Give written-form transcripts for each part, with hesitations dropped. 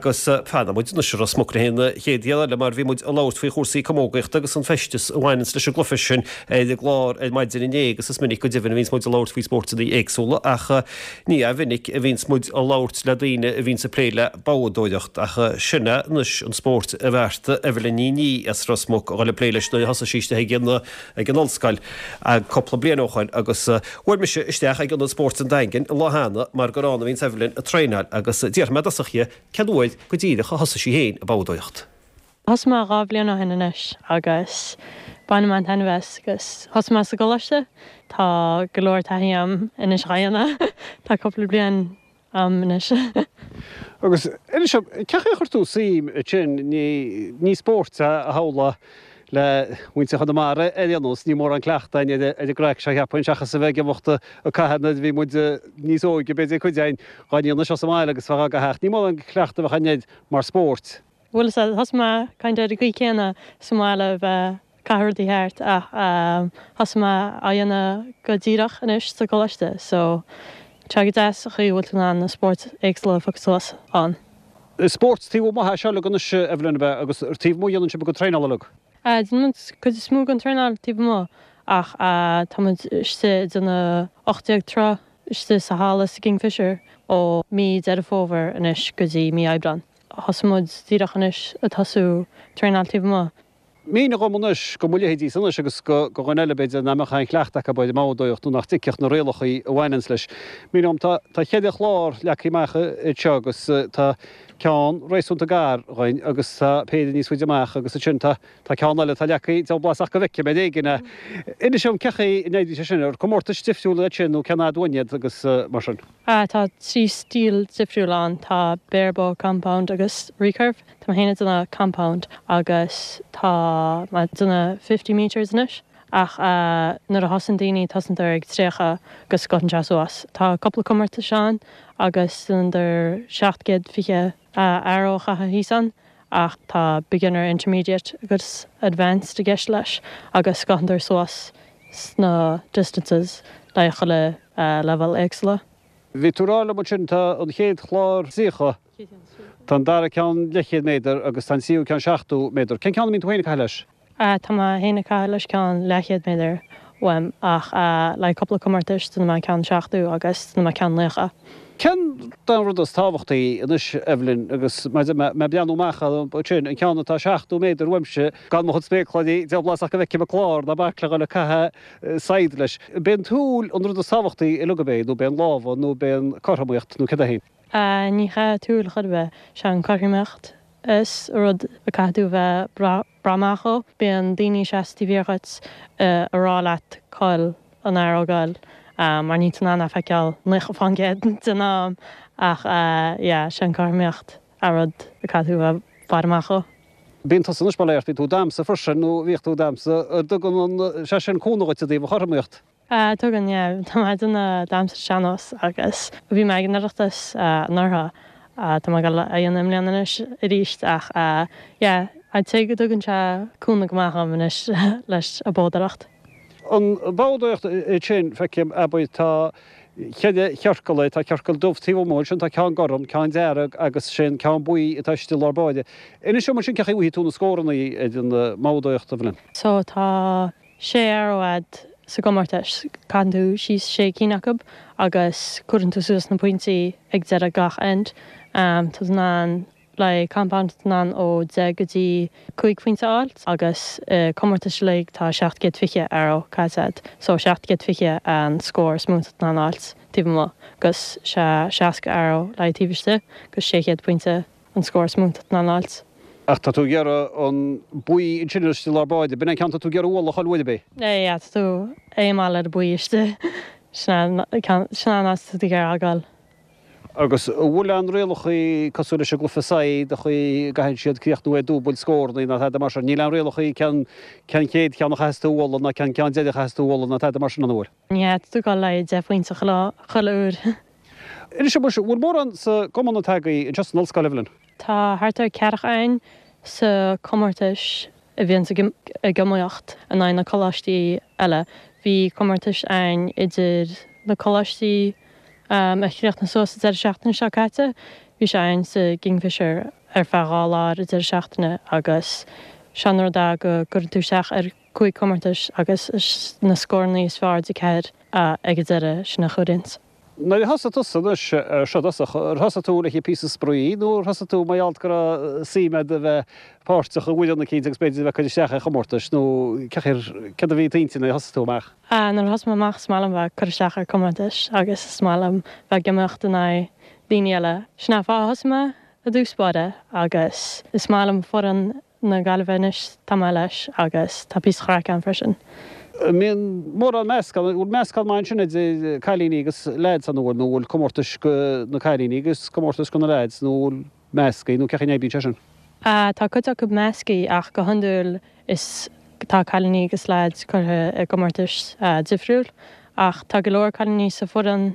Agus fanfaidh muid anois i Ros Muc le haghaidh an chéad ghiota eile mar bhí muid ag labhairt faoi chúrsaí camógaíochta agus an feisteas a bhaineanns leis an gcluiche sin ar an gclár ar maidin inné agus is minic go deimhin a bhíonns muid ag labhairt faoi spóirteanna éagsúla ach ní minic a bhíonns muid ag labhairt le daoine a bhíonns ag plé le boghdóireacht ach sin é anois an spórt a bheartaigh Evelyn Ní Ní as Ros Muc a dhul ag plé leis nuair a thosaigh sí isteach ag an ag an ollscoil cúpla bliain ó shoin agus bhuail mise isteach ag Ionad Spóirt an Daingin an lá cheana mar gur ann a bhíonns Evelyn ag traenáil agus d'fhiafraigh mé i dtosach dhi cén uair go díreach a thosaigh sí féin ag boghdóireacht. Thosaigh mé 2 bhliain ó shin anois agus bainim an-taitneamh as agus thosaigh mé sa gcoláiste. Tá go leor taithí agam anois dhá dhéanamh. Tá cúpla bliain a'm anois. Agus inis dom, cén chaoi a chuir tú suim ansin, ní spórt é a shamhlófá le muintir Chonamara ar aon nós, níl mórán cleachtadh againn ar an gcraic seo cheapfainn, seachas a bheith ag imeacht ag caitheamh nuair a bhí muid níos óige, b'fhéidir cuid againn dhá ndéanamh seo sa mbaile agus bheith á gcaitheamh ach ní mórán cleachtadh a bheadh againn air mar spórt. Bhuel is ea, thosaigh mé kind of ar an gcaoi céanna sa mbaile a bheith ag caitheamh rudaí thart ach thosaigh mé á dhéanamh go díreach anois sa gcoláiste so tá sé go deas an chaoi a bhfuil tú in ann na spóirt éagsúla a phiocadh suas ann. Is spórt taobh amuigh é seo uilig anois Evelyn ab ea agus ar taobh amuigh a dhéanann sibh bhur gcuid traenála uilig? Déanann muid cuid is mó den traenáil taobh amuigh ach tá muid istigh ag déanamh 18 troigh istigh sa halla sa Kingfisher ó mí Deireadh Fómhair anois go dtí mí Aibreán. Thosaigh muid díreach anois ag tosú traenáil taobh amuigh. Mínigh dhom anois, go mo leithéidísa anois agus go dhuine eile b'fhéidir nach mbeadh aon chleachtadh acu ar an mboghdóireacht nó nach dtuigfeadh na rialachaí a bhaineanns leis. Mínigh dhom, tá tá cheithre chlár leagtha amach anseo agus tá ceann réasúnta gar dhuinn agus tá péire níos faide amach agus ansin tá tá ceann eile atá leagtha deabhal blas ach go bhfeicim ar éigin é. Inis dhom cén chaoi a n-oibríonn sé sin, ar comórtais difriúla iad sin nó cén fhad uainn iad agus mar sin. Tá 3 stíl difriúil ann, tá barebow, compound agus recurve. Tá mé féin ag déanamh compound agus tá mé ag déanamh 50 metres anois ach nuair a thosaíonn daoine tosaíonn siad ag 30 agus gabhann sé suas. Tá cúpla comórtais ann agus déanann 720 arrow a chaitheamh thíos ann ach tá beginner, intermediate agus advanced i gceist leis agus gabhann suas sna distances le chuile leibhéal éagsúla. Bhí tú ag rá liom ansin, tá an chéad chlár 30, tá an dara ceann leathchéad méadar agus tá an tríú ceann 70 méadar. Cén ceann a mbíonn tú féin ag caitheamh leis? Tá mé féin ag caitheamh leis ceann leathchéad méadar uaim ach le cúpla comórtais déanfaidh mé ceann 70 agus déanfaidh mé ceann 90. Cén an rud is tábhachtaí anois, Evelyn, agus mé ag breathnú amach ansin, an ceann atá 70 méadar uaimse, gan mo chuid spéacláirí, deabhal blas ach go bhfeicim an clár, ná bac le dhul ag caitheamh saighead leis. B'é an tsúil an rud is tábhachtaí uilig ab é, nó b'é an lámha, nó b'é an cothromaíocht, nó céard é féin? Ní hea tsúil chor ar bith, sé an cothromaíocht is rud a caithfidh tú bheith breá amach dhó. Bíonn daoine seasta taobh thiar dhuit a rá leat cá bhfuil an arrow ag goil mar níl tú in ann é a feiceáil 90% den am ach yeah sé an cothromaíocht a rud a caithfidh tú bheith i bhfad amach dhó. Bíonn tusa anois bail ó Dhia ort, bíonn tú ag damhsa freisin nó bhíodh tú ag damhsa, an dtugann sé sin cúnamh dhuit i dtaobh an chothromaíocht? Tugann, yeah. Tá mé ag déanamh damhsa sean-nós agus bhí mé ag an Oireachtas anuraidh. Tá mé ag dul a dhéanamh i mbliana anois arís ach yeah, I'd say go dtugann sé cúnamh go maith dhom anois leis an boghdóireacht. An boghdóireacht ansin, feicim, abair, tá cheithre chiorcal é, tá ciorcal dubh taobh amuigh ansin, tá ceann gorm, ceann dearg agus sin ceann buí atá istigh i lár báire. Inis dom ansin cén chaoi a bhfaighidh tú na scóranna ar an mboghdóireacht, Evelyn. So tá sé arrow a'd sa gcomórtas, caitheann tú síos sé cinn acu agus cuireann tú suas na pointí ag deireadh gach end. Tá tú in ann le compound tá tú in ann ó 10 go dtí 5 phointe a fháil agus i comórtais uilig tá 720 arrow caite a'd so 720 an scór is mó atá tú in ann a fháilt taobh amuigh agus sé 60 arrow le taobh istigh agus 600 pointe an scór is mó atá tú in ann a fháilt. Ach tá tú ag iarraidh an buí ansin istigh i lár báire, b'in é an ceann tá tú ag iarraidh a bhualadh chuile uair, ab é? Yeah, tá tú ag aomáil ar an buí istigh. Sin é an ceann, sin é an áit atá tú ag iarraidh a ghoil. Agus an bhfuil aon rialachaí cosúil leis an gcluiche saighead, an chaoi a gcaitheann siad críochnú ar dúbailt scórannaí ná tada mar sin? Níl aon rialachaí cén cén chéad cheann a chaitheas tú a bhualadh ná cén ceann deiridh a chaitheas tú a bhualadh ná tada mar sin, an bhfuil? Ní hea, tá tú ag dul le haghaidh 10 phointe chuile chuile uair. Inis dom, an bhfuil mórán sa gcumann atá agaibh anseo san ollscoil, Evelyn? Tá thart ar ceathracha againn sa comórtais a bhíonns ag iomaíocht in aghaidh na coláistí eile. Bhí comórtais againn idir na coláistí a chríochnaigh suas an deireadh seachtaine seo caite. Bhí sé ann sa gKingfisher ar feadh 2 lá ar an deireadh seachtaine agus sé an rud é go gcuireann tú isteach ar 5 comórtais agus is na scórannaí is fearr de 4 ag an deireadh sin a chomhaireanns. Nuair a thosaigh tusa anois ar seo i dtosach, ar thosaigh tú le haghaidh píosa spraoi nó ar thosaigh tú mar gheall go raibh suim agat a bheith páirteach i bhfoireann eicínt agus b'fhéidir a bheith ag cur isteach ar chomórtais nó céard a bhí i d'intinn nuair a thosaigh tú amach? Nuair a thosaigh mé amach is maith liom bheith ag cur isteach ar comórtais agus is maith liom bheith ag iomaíocht in aghaidh daoine eile. Sin an fáth a thosaigh mé i dtús báire agus is maith liom foireann na Gaillimhe anois, tá mé leis agus tá píosa chraic ann freisin. An mbíonn mórán meascán, an bhfuil meascán maith ansin idir cailíní agus leaids ann nó an bhfuil comórtais go na cailíní agus comórtais go na leaids nó an bhfuil measctha nó cén chaoi a n-oibríonn sé sin? Tá cuid acu measctha ach go hiondúil is tá cailíní agus leaids curtha i gcomórtais difriúil ach tá go leor cailíní sa foireann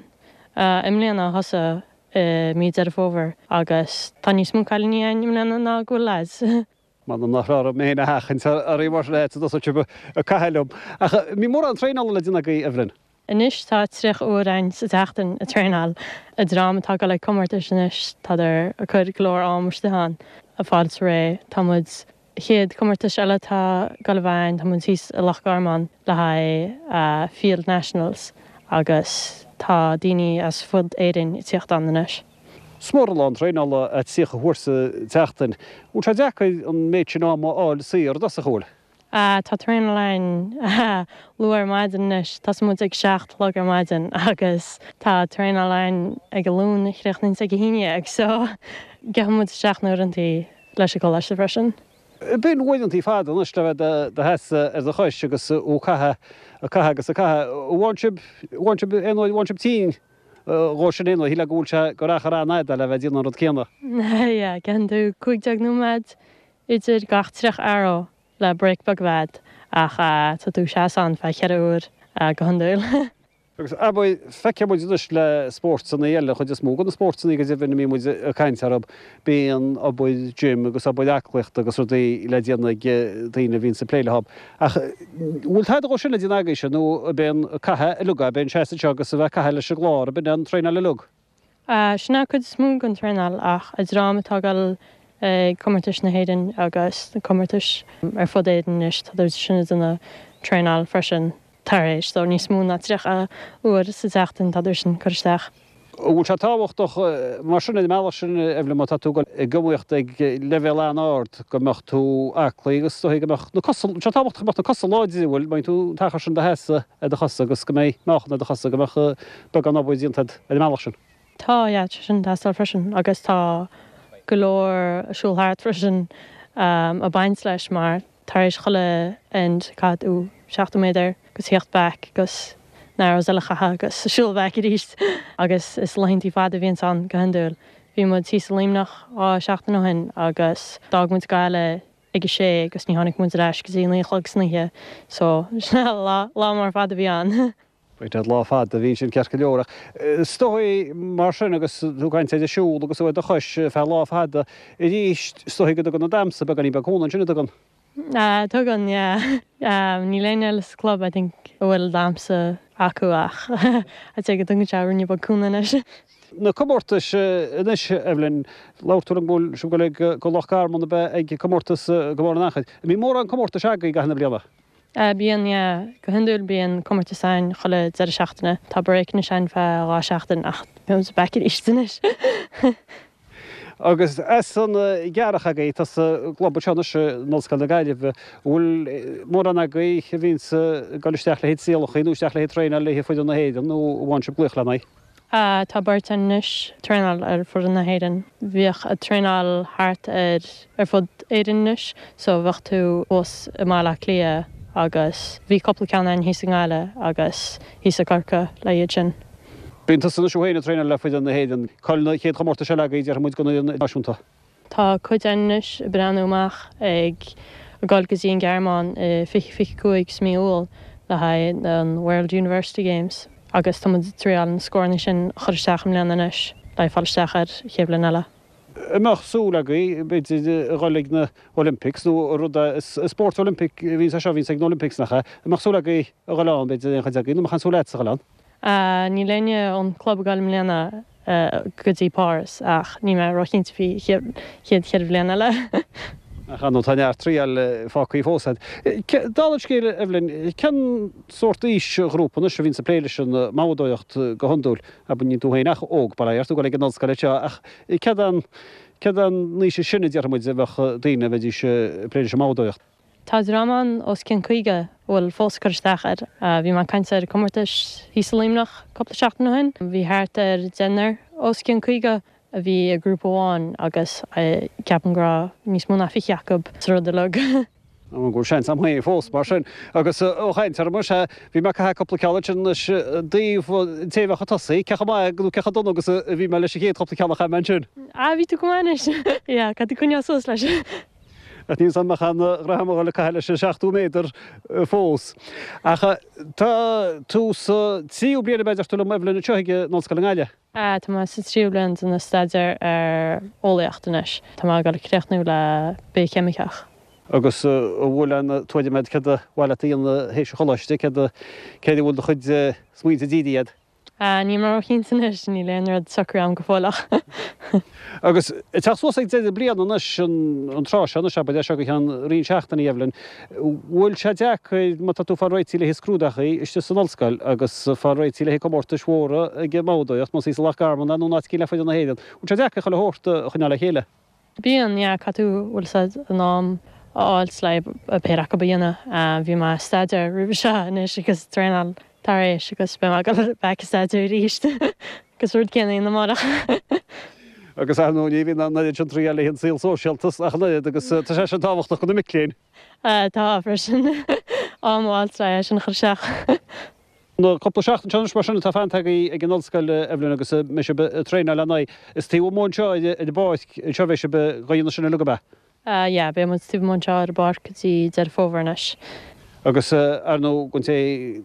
i mbliana a thosaigh i mí Deireadh Fómhair agus tá níos mó cailíní ann i mbliana ná go bhfuil leaids. M'anam nach raibh orm mé féin a sheachaint oraibh mar sin a dtosóidh sibh ag caitheamh liom. Ach an mbíonn mórán traenála le déanamh agaibh, Evelyn? Anois tá 30 uair ann sa tseachtain ag traenáil. An dream atá ag dul ag comórtais anois, tádar ag cur go leor am istigh ann, ag fáil réidh. Tá muid Chéad comórtas eile atá ag dul a bheith ann, tá muid thíos i Loch Garman le haghaidh Field Nationals agus tá daoine as fud Éirinn ag tíocht ann anois. Is mór an lán traenála é 30 uair sa tseachtain. Bhfuil sé deacair an méid sin ama a fháil saor i dtosach, an bhfuil? Tá traenáil ann luath ar maidin anois, tosaíonn muid ag 7 a chlog ar maidin agus tá traenáil ann ag a Luan a chríochnaíonns ag a haon dhéag so gheobhaidh muid isteach na uaireantaí leis an gcoláiste freisin. Bíonn uaireantaí fada anois le bheith do sheasamh ar do chois agus ag caitheamh, ag caitheamh agus ag caitheamh. An bhfaigheann sibh, an bhfaigheann sibh aon uair, an bhfaigheann sibh tinn dhó sin aon uair, shílfeá go bhfuil sé gur achar an-fhada le bheith ag déanamh an rud céanna. Yeah, gheobhann tú 15 nóiméad idir gach 30 arrow le break beag a bheith a'd ach tá tú ag seasamh ann feadh cheithre uair go hiondúil. Agus abair, feicfidh muid anois le spórtanna eile, an chuid is mó de na spórtanna go deimhin a mbíonn muid ag caint orthu, bíonn obair gym agus obair aclaíochta agus rudaí le déanamh ag daoine a bhíonns ag plé leo. Ach bhfuil tada dhó sin le déanamh agaibhse nó ab é an caitheamh uilig, ab é an seasamh anseo agus a bheith ag caitheamh leis an gclár, ab in an traenáil uilig? Sin an cuid is mó den traenáil ach an dream atá ag dul ag comórtais na hÉireann agus na comórtais ar fud Éireann anois, tá sin ag déanamh traenáil freisin tar éis so níos mó ná 30 uair sa tseachtain tá sin ag cur isteach. An bhfuil sé tábhachtach mar sin ar an mbealach sin, Evelyn, má tá tú ag dul ag iomaíocht ag leibhéal an-ard go mbeadh tú aclaí agus is dóigh go mbeadh na cosa, tá sé tábhachtach go mbeadh na cosa láidir, an bhfuil, má bhíonn tú an t-achar sin do sheasamh ar do chosa agus go mbeidh meáchan ar do chosa, go mbeadh beagán obair déanta agat ar an mbealach sin. Tá, yeah, tá sin ag teastáil freisin agus tá go leor siúl thart freisin ag baint leis mar tar éis chuile end caithfidh tú 70 méadar agus theacht back agus na arrows eile a chaitheamh agus siúl back arís agus is laethantaí fada a bhíonns ann go hiondúil. Bhí muid thíos i Luimneach 2 seachtain ó shin agus d'fhág muid Gaillimh ag a sé agus ní tháinig muid ar ais go dtí a naoi a chlog san oíche so lá lá mór fada a bhí ann. Right, lá fada a bhí ansin ceart go leor ach is dóigh mar sin agus tú ag caint ar an siúl agus tú ar do chois feadh lá fada arís is dóigh go dtugann an damhsa beagáinín beag cúnamh ansin, an dtugann? Tugann, yeah. Níl éinne eile sa club I think a bhfuil damhsa acu ach I'd say go dtugann sé ruainne beag cúnamh anois. Na comórtais anois, Evelyn, labhair tú liom go bhfuil sibh ag dul go Loch Garman a bheith ag comórtas go barr an achair. An mbíonn mórán comórtais agaibh i gcaitheamh na bliana? Bíonn, yeah. Go hiondúil bíonn comórtas ann chuile deireadh seachtaine. Tá break anois ann feadh 2 seachtain ach beidh muid back arís anois. Agus as an gCeathrach agaibh, tá sa gclub anseo anois in Ollscoil na Gaillimhe, an bhfuil mórán agaibh a bhíonns ag dul isteach le haghaidh trialacha nó isteach le haghaidh traenáil le haghaidh foireann na hÉireann nó an bhfaigheann sibh glaoch lena aghaidh? Tá beirt ann anois ag traenáil ar foireann na hÉireann. Bhíodh ag traenáil thart ar ar fud Éireann anois so bheadh tú thuas i mBaile Átha Cliath agus bhí cúpla ceann ann thíos i nGaillimh agus thíos i gCorcaigh le iad sin. Bíonn tusa anois thú féin ag traenáil le foireann na hÉireann. Cá'il na chéad chomórtais eile agaibh déarfaidh muid don fhoireann náisiúnta? Tá cuid againn anois ag breathnú amach ag dul go dtí an Ghearmáin i 2025 sa mí Iúil le haghaidh an World University Games agus tá muid ag triáil na scóranna sin a chur isteach i mbliana anois le fáil isteach ar chéad bhliain eile. An mbeadh súil agaibh, b'fhéidir, a dhul ag na Olympics nó rud a, is spórt Olympic a bhíonns é seo a bhíonns ag na Olympics nach ea? An mbeadh súil agaibh a dhul ann, b'fhéidir, aon chuid agaibh, nó an mbeadh aon súil agatsa a dhul ann? Níl éinne ón club ag dul i mbliana. go dtí Páras ach níl mé róchinnte faoi chéad cheithre bhliain eile. Ach ar ndóigh tá neart triail fágtha fós agat. Dála an scéil, Evelyn, cén sórt aoisghrúpa anois a bhíonns ag plé leis an mbabhadóireacht go hiondúil? Abair, níl tú féin ach óg, bail ó Dhia ort, tú ag dul ag an ollscoil anseo ach céard an céard an aois is sine, déarfaidh muid, a bheadh daoine a bheidís ag plé leis an mbabhadóireacht? Tá dream ann os cionn 50 a bhfuil fós ag cur isteach air. Bhí mé ag caint ar comórtais thíos i Luimneach cúpla seachtain ó shin. Bhí thart ar deichniúr os cionn 50 a bhí i grúpa amháin agus ceapaim go raibh níos mó ná 20 acu sa rud uilig. Go bhfuil seans agam féin fós, mar sin. Agus ó chaint orm, sea, bhí mé ag caitheamh cúpla ceann ansin anois i dtaobh an té a bheadh ag tosaí, cé chomh maith nó cé chomh dona agus a bhí mé leis an chéad chúpla ceann a chaith mé ansin. Ah, bhí tú go maith anois. Yeah, caithfidh tú coinneáil suas leis. Ach níl 's a'm an mbeadh aon ghraithe agam a dhul ag caitheamh leis an 70 méadar fós. Ach tá tú sa tríú bliain ab ea, deir tú liom, Evelyn, anseo ag an Ollscoil i nGaillimh? Tá mé sa tríú bliain den staidéar ar eolaíocht anois. Tá mé ag dul a chríochnú le bithcheimiceach. Agus an bhfuil aon tuairim agat céard ba mhaith leat a dhéanamh théis an choláiste, céard a, céard a bhfuil do chuid smaointe dírithe agat? Níl mé róchinnte anois, níl aon rud socraithe agam go fóill ach. Agus ag teacht suas ag deireadh bliana anois, an tráth seo anois, abair, as seo go ceann roinnt seachtainí, Evelyn, bhfuil sé deacair má tá tú ag fáil réitithe le haghaidh scrúdachaí istigh san ollscoil agus ag fáil réitithe le haghaidh comórtais mhóra ag an mbabhadóireacht, más í sa Loch Garman é nó in áit éicint le foireann na hÉireann, bhfuil sé deacair chuile shórt a choinneáil le chéile? Bíonn, yeah, caithfidh tú, bhfuil 's a'd, an am a fháilt le péire acu a dhéanamh. Bhí mé ag staidéar roimhe seo anois agus traenáil tar éis agus beidh mé ag dul back ag staidéar arís agus rud céanna a dhéanamh amárach. Agus ar ndóigh ní bhíonn an oiread sin triail le haghaidh an saol sóisialta ach an oiread agus tá sé sin tábhachtach do na mic léinn. Tá freisin. Am a fháilt le é sin a chur isteach. Na cúpla seachtain seo anois mar sin atá fanta agaibh ag an ollscoil, Evelyn, agus an mbeidh sibh ag traenáil ar ndóigh. Is taobh amuigh anseo ar an bpáirc anseo a bheidh sibh ag déanamh sin uilig, ab ea? Yeah, beidh muid taobh amuigh anseo ar an bpáirc go dtí Deireadh Fómhair anois. Agus ar ndóigh, don té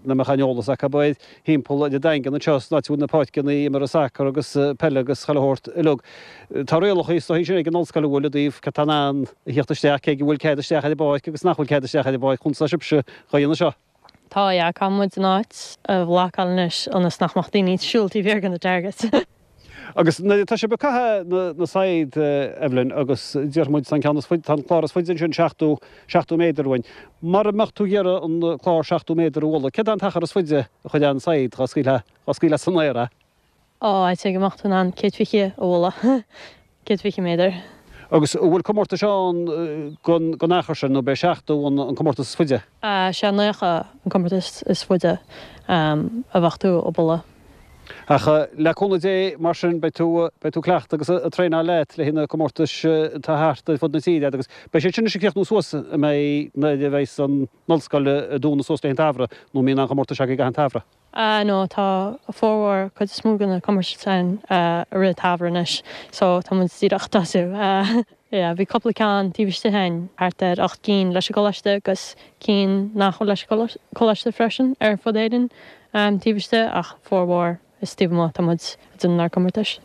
nach mbeadh aon eolas acu air, thimpeall ar an Daingean anseo, san áit a bhfuil na páirceanna imeartha sacar agus peile agus chuile shórt uilig. Tá rialacha is dóichí sin ag an ollscoil an bhfuil i dtaobh cad tá in ann a theacht isteach, cé go bhfuil cead isteach ar an bpáirc agus nach bhfuil cead isteach ar an bpáirc, conas atá sibhse dhá dhéanamh seo? Tá, yeah, caithfidh muid an áit a bhlocáil anois ionas nach mbeadh daoine ag siúl taobh thiar de na targets. Agus nuair atá sibh ag caitheamh na saighead, Evelyn, agus déarfaidh muid tá an ceann is faide, tá an clár is faide ansin 70, 70 méadar uainn. Mara mbeadh tú ag iarraidh an clár 70 méadar a bhualadh, céard é an t-achar is faide a chuirfeá an saighead dhá scaoilfeá, dhá scaoilfeá san aer é? Ó, I'd say go mbeadh tú in ann 120 a bhualadh, 120 méadar. Agus an bhfuil comórtais ann den achar sin, nó b'é 70 an comórtas is faide? Sé 90 an comórtas is faide a bheadh tú ag bualadh. Ach le cúnamh Dé, mar sin, beidh tú, beidh tú ag cleachtadh agus ag traenáil leat le haghaidh na comórtais atá thart ar fud na tíre agus beidh siad sin anois ag críochnú suas, an mbeidh, nuair a bheidh an ollscoil ag dúnadh suas le haghaidh an tsamhraidh, nó an mbíonn aon chomórtais agaibh i gcaitheamh an tsamhraidh? Ah no, tá formhór, cuid is mó de na comórtais ann i rith an tsamhraidh anois, so tá muid díreach ag tosú. Yeah, bhí cúpla ceann taobh istigh againn, thart ar 8 gcinn leis an gcoláiste agus cinn nach bhfuil leis an gcoláiste freisin ar fud Éireann taobh istigh ach formhór is taobh amuigh atá muid ag déanamh ár gcomórtais.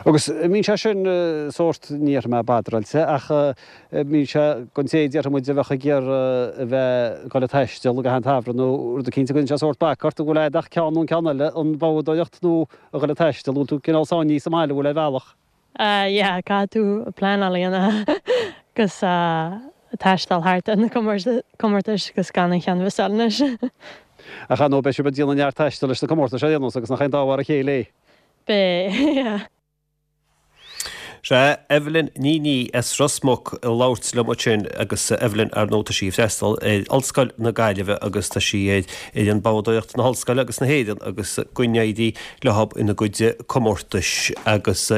Agus mbíonn sé sin sórt, ní dhéarfaidh mé badráilte, ach mbíonn sé don té déarfaidh muid a bheadh ag iarraidh a bheith ag dul ag taisteal i gcaitheamh an tsamhraidh nó rud eicínt, an gcuireann sé sórt bac ort, an bhfuil a'd ach ceann nó an ceann eile, an bhabhadóireacht nó a dhul ag taisteal, an bhfuil tú cineál sáinnithe sa mbaile, an bhfuil ar bhealach? Yeah, caithfidh tú pleanáil a dhéanamh agus taisteal thart ar na comórtais agus gan an cheann a mhissáil anois. Ach ar ndóigh beidh sibh ag déanamh neart taistil leis na comórtais ar aon nós agus nach é an dá mhar a chéile é? Beidh, yeah. Sea, Evelyn Ní Ní as Ros Muc ag labhairt liom ansin agus Evelyn, ar ndóigh, tá sí ag freastal ar Ollscoil na Gaillimhe agus tá sí ar fhoireann babhadóireachta na hOllscoile agus na hÉireann agus go n-éirí leo ina gcuid comórtais agus.